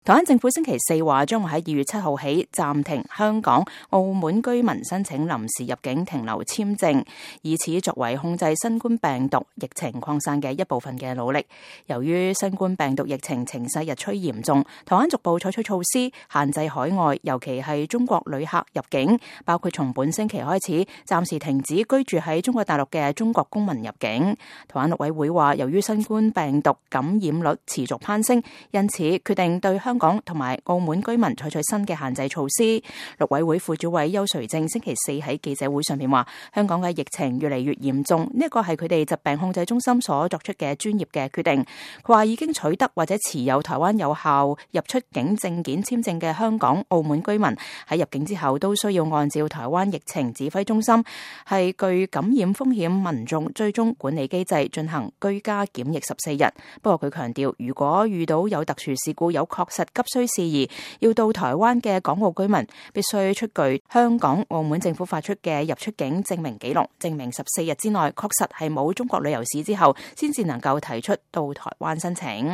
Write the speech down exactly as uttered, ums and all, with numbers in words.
台灣政府星期四話將會喺二月七號起暫停香港、澳門居民申請臨時入境停留簽證，以此作為控制新冠病毒疫情擴散嘅一部分嘅努力。由於新冠病毒疫情情勢日趨嚴重，台灣逐步採取措施限制海外，尤其係中國旅客入境，包括從本星期開始暫時停止居住喺中國大陸嘅中國公民入境。台灣陸委會話，由於新冠病毒感染率持續攀升，因此決定對香港同埋澳門居民採取新嘅限制措施。陸委會副主委邱垂正星期四喺記者會上面話，香港嘅疫情越嚟越嚴重，呢一個係佢哋疾病控制中心所作出嘅專業嘅決定。佢話已經取得或者持有台灣有效入出境證件簽證嘅香港、澳門居民喺入境之後都需要按照台灣疫情指揮中心係具感染風險民眾追蹤管理機制進行居家檢疫十四日。不過佢強調，如果遇到有特殊事故，有確實急需事宜要到台灣嘅港澳居民，必須出具香港、澳門政府發出嘅入出境證明記錄，證明十四日之內確實係冇中國旅遊史之後，先至能夠提出到台灣申請。